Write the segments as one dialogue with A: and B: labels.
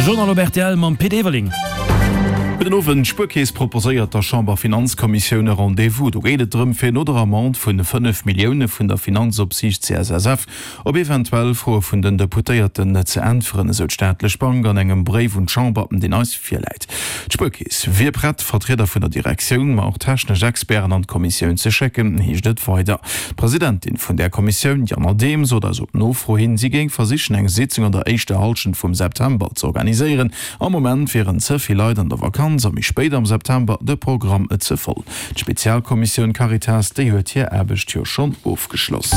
A: Journal op rtl mam Pit Everling.
B: Gudden Owend. D'Spuerkeess proposéiert der Chamberfinanzkommissioun e Rendez-vous. Do geet et drëm, fir no der Amende vun 5 Millioune vun der Finanzopsiicht CSSF op eventuell Froe vun den Deputéierten ze äntweren, esou d'staatlech Bank an engem Bréif un d'Chamber, deen eis virläit. D'Spuerkeess wier prett, Vertrieder vun der Direktioun, ma och technesch Experten an d'Kommissioun ze schécken, heescht et weider. D'Presidentin vun där Kommissioun, Diane Adehm, sot eis op Nofro hin, si géing versichen, eng Sitzung an der éischter Hallschent vum September z'organiséieren. Am Moment wieren ze vill Leit an der Vakanz a méi spéit am September de Programm ze voll. D'Spezialkommissioun Caritas, déi huet hir Aarbecht jo schonn ofgeschloss.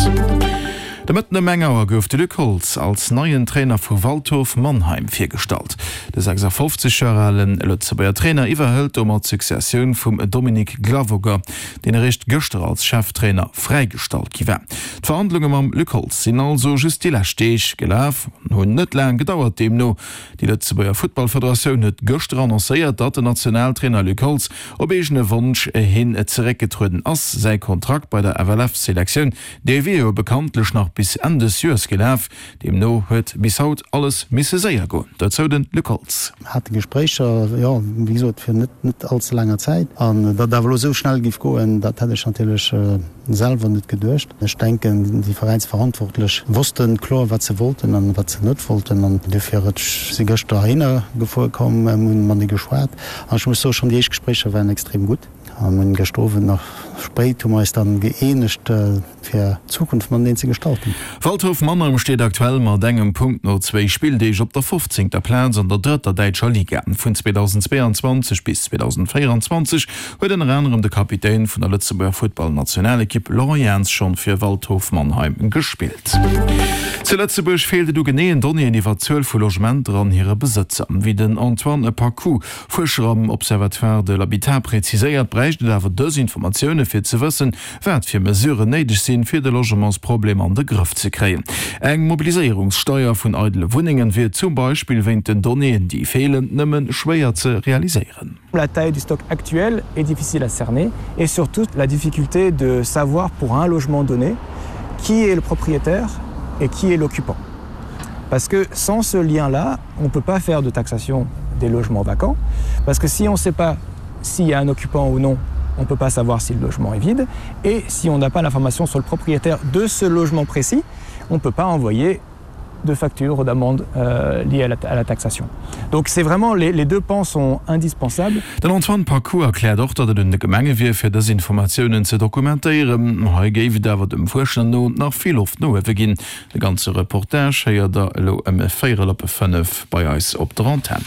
B: De Mëtten ëm eng Auer gouf de Luc Holtz als neien Trainer vu Waldhof Mannheim virgestallt. De 56 Joer ale Lëtzebuerger Trainer iwwerhëlt domat d'Successioun vum Dominik Glavoger, deen eréischt gëschter als Cheftrainer fräigestallt gi war. D'Verhandlunge mam Luc Holtz sinn also just déi lescht Deeg gelaf an hunn net laang gedauert. Deemno Déi Lëtzebuerger Futtballfederatioun huet gëschter annoncéiert, datt den Nationaltrainer Luc Holtz op eegene Wonsch hin zeréckgetrueden ass. Säi Kontrakt bei der FLF-Selektioun, dee wier jo bekanntlech nach bis Enn des Joers gelaf. Deemno huet bis haut alles misse séier goen. Dozou de Luc Holtz.
C: Mir hate Gespréicher, jo, wéi gesot, virun net net all ze laanger Zäit. An datt et awer elo esou schnell géif goen, dat hätt ech natierlech selwer net geduecht. Ech denken, déi Veräinsverantwortlech wosste kloer, wat se wollten an wat se net wollten. An dofir, ech si gëschter heihinner gefuer komm, mir hunn matenee geschwat. An ech muss soen, schonn déi éischt Gespréicher waren extrem gutt. An mir hunn gëschter Owend nach spéit hu mer eis dann gëeenegt, fir d'Zukunft mateneen ze gestalten.
B: Waldhof Mannheim steet aktuell mat engem Punkt no zwéi Spilldeeg op der fofzéngter Plaz an der drëtter däitscher Liga. Vun 2022 bis 2024 huet ënner anerem de Kapitän vun der Lëtzebuerger Futtballnationalekipp Laurent Jans schonn fir Waldhof Mannheim gespillt. Zu Lëtzebuerg feelt et u geneeën Donnéeën iwwer d'Zuel vu Logementer an hire Besëtzer. Wéi den Antoine Paccoud, Fuerscher am Observatoire de l'habitat, präziséiert, bräicht et awer dës Informatioune fir ze wëssen, wat fir Mesuren néideg sinn, fir de Logementsproblem an de Grëff ze kréien. Eng Mobiliséierungssteier vun eidele Wunnengen wier zum Beispill wéint den Donnéeën, déi feelen, nëmme schwéier ze realiséieren.
D: La taille du stock actuel est difficile à cerner et surtout la difficulté de savoir pour un logement donné qui est le propriétaire et qui est l'occupant. Parce que sans ce lien-là, on ne peut pas faire de taxation des logements vacants parce que si on ne sait pas s'il y a un occupant ou non, on ne peut pas savoir si le logement est vide et si on n'a pas l'information sur le propriétaire de ce logement précis, on ne peut pas envoyer de factures ou d'amendes euh, liées à la, à la taxation. Donc c'est vraiment les, les deux pans sont indispensables.
B: Den Antoine Paccoud erkläert och, datt et un de Gemenge wier, fir dës Informatiounen ze dokumentéieren. Hei géif et awer dem Fuerscher no nach vill Loft no uewe ginn. De ganze Reportage héiert der elo ëm véierel op 5 bei eis op der Antenn.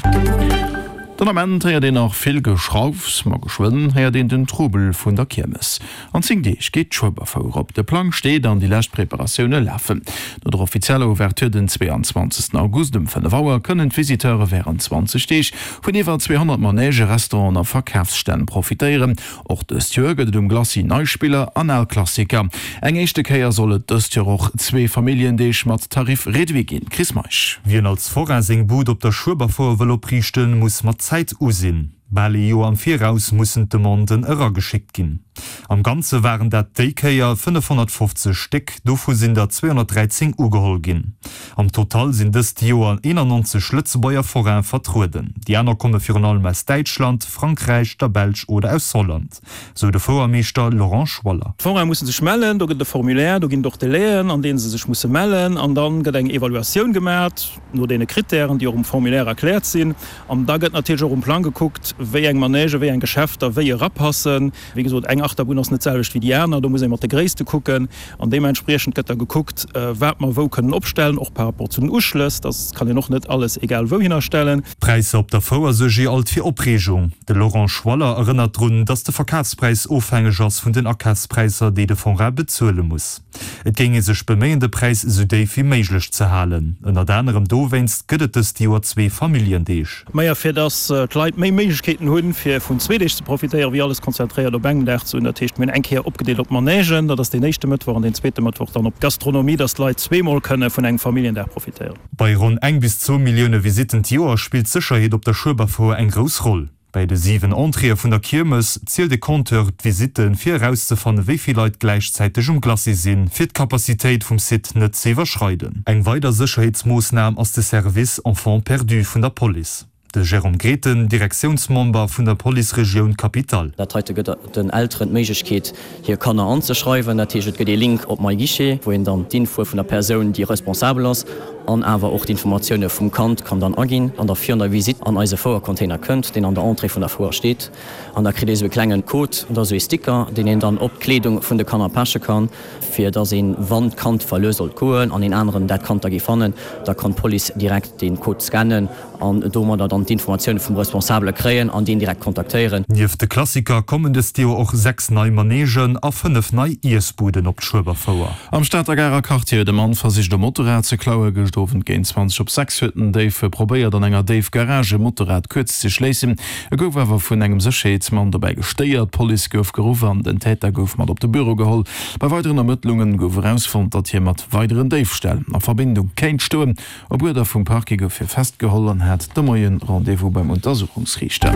B: Den Ament héiert een nach vill Geschraufs, ma geschwënn héiert een den Trubel vun der Kiermes. An 10 Deeg geet d'Schueberfouer op. De Plang steet an déi lescht Preparatioune lafen. No der offizieller Ouverture den 22 August um 5 Auer kënnen d'Visiteure wärend 20 Deeg vun iwwer 200 Manègen, Restauranten a Verkafsstänn profitéieren. Och dëst Joer gëtt et um Glacis nei Spiller an al Klassiker. Eng éischte Kéier soll et dëst Joer och zwee Familljendeeg mat Tarif réduit ginn. Chris Meisch.
E: Wien als Forain seng Bud op der Schueberfouer wëll opriichten, muss mat Zäit usinn. Bal ee Joer am Viraus mussen d'Demanden erageschéckt ginn. Am Ganze waren dat déi Kéier 550 Stéck, dovu sinn der 213 ugeholl ginn. Am Total sinn dëst Joer 91 Lëtzebuerger Forainen vertrueden. Déi aner komme virun allem aus Däitschland, Frankräich, der Belsch oder aus Holland, sou de Fouermeeschter Laurent Schwaller.
F: D'Foraine musse sech mellen, do gëtt et e Formulaire, do ginn et och Delaien, an deene se sech musse mellen an da gëtt eng Evaluatioun gemat no deene Krittären, déi och um Formulaire erkläert sinn. An da gëtt natierlech och um Plang gekuckt, wéi eng Manègen, wéi eng Geschäfter wéi erapassen. Wéi gesot, eng Achterbunn ass net d'selwecht wéi déi aner, do muss ee mat de Gréisste kucken. An deementspriechend gëtt da gekuckt, wat mer wou kënnen opstellen, och par rapport zu den Uschlëss. Da kann een och net alles egal wouhinner stellen.
E: D'Präisser op der Fouer suerge alt fir Opreegung. De Laurent Schwaller erënnert drun, datt de Verkafspräis ofhängeg ass vun den Akafspräisser, déi de Forain bezuele muss. Et géing ee sech beméien, de Präis esou déif wéi méiglech ze halen. Ënnert anerem dowéinst gëtt et dëst Joer zwee Familljendeeg.
F: Majo, fir datt d'Leit méi Méiglechkeeten hunn, fir vun zwee Deeg ze profitéieren, wéi alles konzentréiert op engem Dag ze hunn. Dat heescht, mir hunn eng Kéier opgedeelt op d'Manègen, dat ass deen éischte Mëttwoch, an deen zweete Mëttwoch dann op d'Gastronomie, datt d'Leit zweemol kënne vun engem Familljendag profitéieren.
E: Bei ronn eng bis zwou Millioune Visitten d'Joer spillt d'Sécherheet op der Schueberfouer eng grouss Roll. Bäi de 7 Entréeë vun der Kiermes zielt e Compteur d'Visitten, fir erauszefanne wéi vill Leit gläichzäiteg um Glacis sinn, fir d'Capacitéit vum Site net ze iwwerschreiden. Eng weider Sécherheetsmoossnam ass de Service Enfants perdus vun der Police. De Jérôme Grethen, Direktiounsmember vun der Police-Regioun Capitale.
G: Dat heite gëtt den Elteren d'Méiglechkeet, hir Kanner anzeschreiwen. Dat heescht, et gëtt ee Link op MyGuichet, wou een dann d'Infoe vun der Persoun, déi responsabel ass, an awer och d'Informatioune vum Kand kann dann aginn an da virun der Visitt an eise Fouercontainer kënnt, deen an der Entrée vun der Fouer steet. An da kritt ee sou e klengen Code, dat ass sou ee Sticker, deen een dann op d'Kleedung vun de Kanner peche kann, fir dass een, wann d'Kand verluer sollt goen an een aneren dat Kand da géif fannen, da kann d'Police direkt dee Code scannen an domadder dann d'Informatioune vum Responsabele kréien an deen direkt kontaktéieren.
E: Nieft de Klassiker kommen dëst Joer och 6 nei Manegen a 5 nei Iessbuden op d'Schueberfouer.
B: Am Stater Garer Quartier huet e Mann versicht e Motorrad ze klauen. Gëscht Owend géint 20 op 6 huet den Déif probéiert an enger Déifgarage e Motorrad kuerz ze schléissen. E gouf awer vun engem Sécherheetsmann dobäi gestéiert. D'Police gouf geruff an den Täter gouf mat op de Büro geholl. Bei weideren Ermëttlunge gouf erausfonnt, datt hie mat weideren Déifställ a Verbindung kéint stoen. Op Uerder vum Parquet gouf hie festgeholl an hat de Moie Rendez-vous beim Untersuchungsriichter.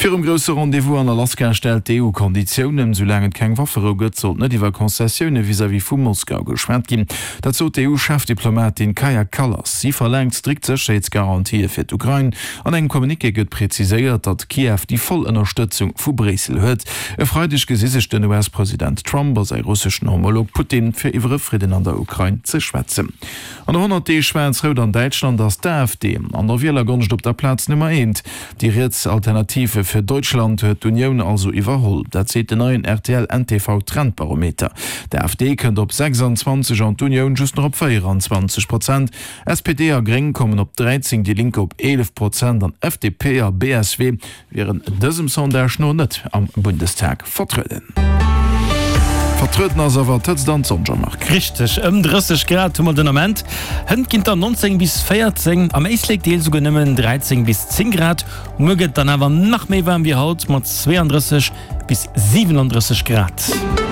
B: Virum grousse Rendez-vous an Alaska stellt d'EU Konditiounen. Soulaang et keng Wafferou gëtt, sollt net iwwer Concessioune vis-à-vis vu Moskau geschwat ginn. Dat sot d'EU-Chefdiplomatin Kaja Kallas. Si verlaangt strikt Sécherheetsgarantië fir d'Ukrain. An engem Communiqué gëtt preziséiert, datt Kiew déi voll Ënnerstëtzung vu Bréissel huet. E Freideg gesi sech den US-President Trump a säi russeschen Homolog Putin, fir iwwer e Fridden an der Ukrain ze schwätzen. An no 100 Deeg Schwaarz-Rout an Däitschland ass d'AfD an der Wielergonscht op der Plaz Nummer eent. Déi riets Alternative für Deutschland huet d'Unioun also iwwerholl. Dat seet den neien RTL-NTV Trendbarometer. D'AfD kënnt op 26 an d'Unioun just nach op 24 Prozent. SPD a Gréng kommen op 13, déi Linke op 11 Prozent an FDP a BSW wieren dësem Sondage no net am Bundestag vertrueden. Vertrueden ass awer d'Hëtzt an d'Sonn, Jean-Marc.
A: Richteg, ëm 30 Grad hu mer den Ament. Hënt ginn et der 19 bis 14, am Éislek Deel souguer nëmmen 13 bis 10 Grad. Muer gëtt et dann awer nach méi waarm wéi haut mat 32 bis 37 Grad.